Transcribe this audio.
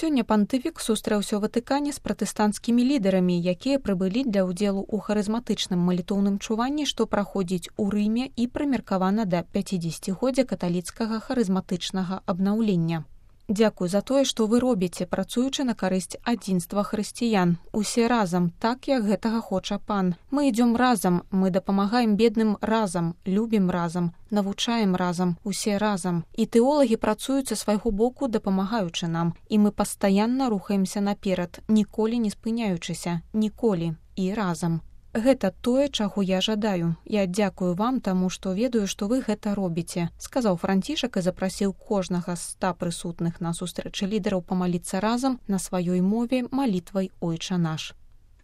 Сёння пантыфік сустрэўся ў Ватыкане з пратэстанцкімі лідарамі, якія прыбылі для ўдзелу ў харызматычным малітоўным чуванні, што праходзіць у Рыме і прымеркавана да 50-годдзя каталіцкага харызматычнага абнаўлення. Дзякуй за тое, што вы робіце, працуючы на карысць адзінства хрысціян. Усе разам, так як гэтага хоча пан. Мы ідзём разам, мы дапамагаем бедным разам, любім разам, навучаем разам, усе разам. І тэолагі працуюць са свайго боку, дапамагаючы нам. І мы пастаянна рухаемся наперад, ніколі не спыняючыся, ніколі. І разам. Гэта тое, чаго я жадаю. Я дзякую вам, таму што ведаю, што вы гэта робіце, сказаў Францішак і запрасіў кожнага з 100 прысутных на сустрэчы лідараў памаліцца разам на сваёй мове малітвай «Ойча наш».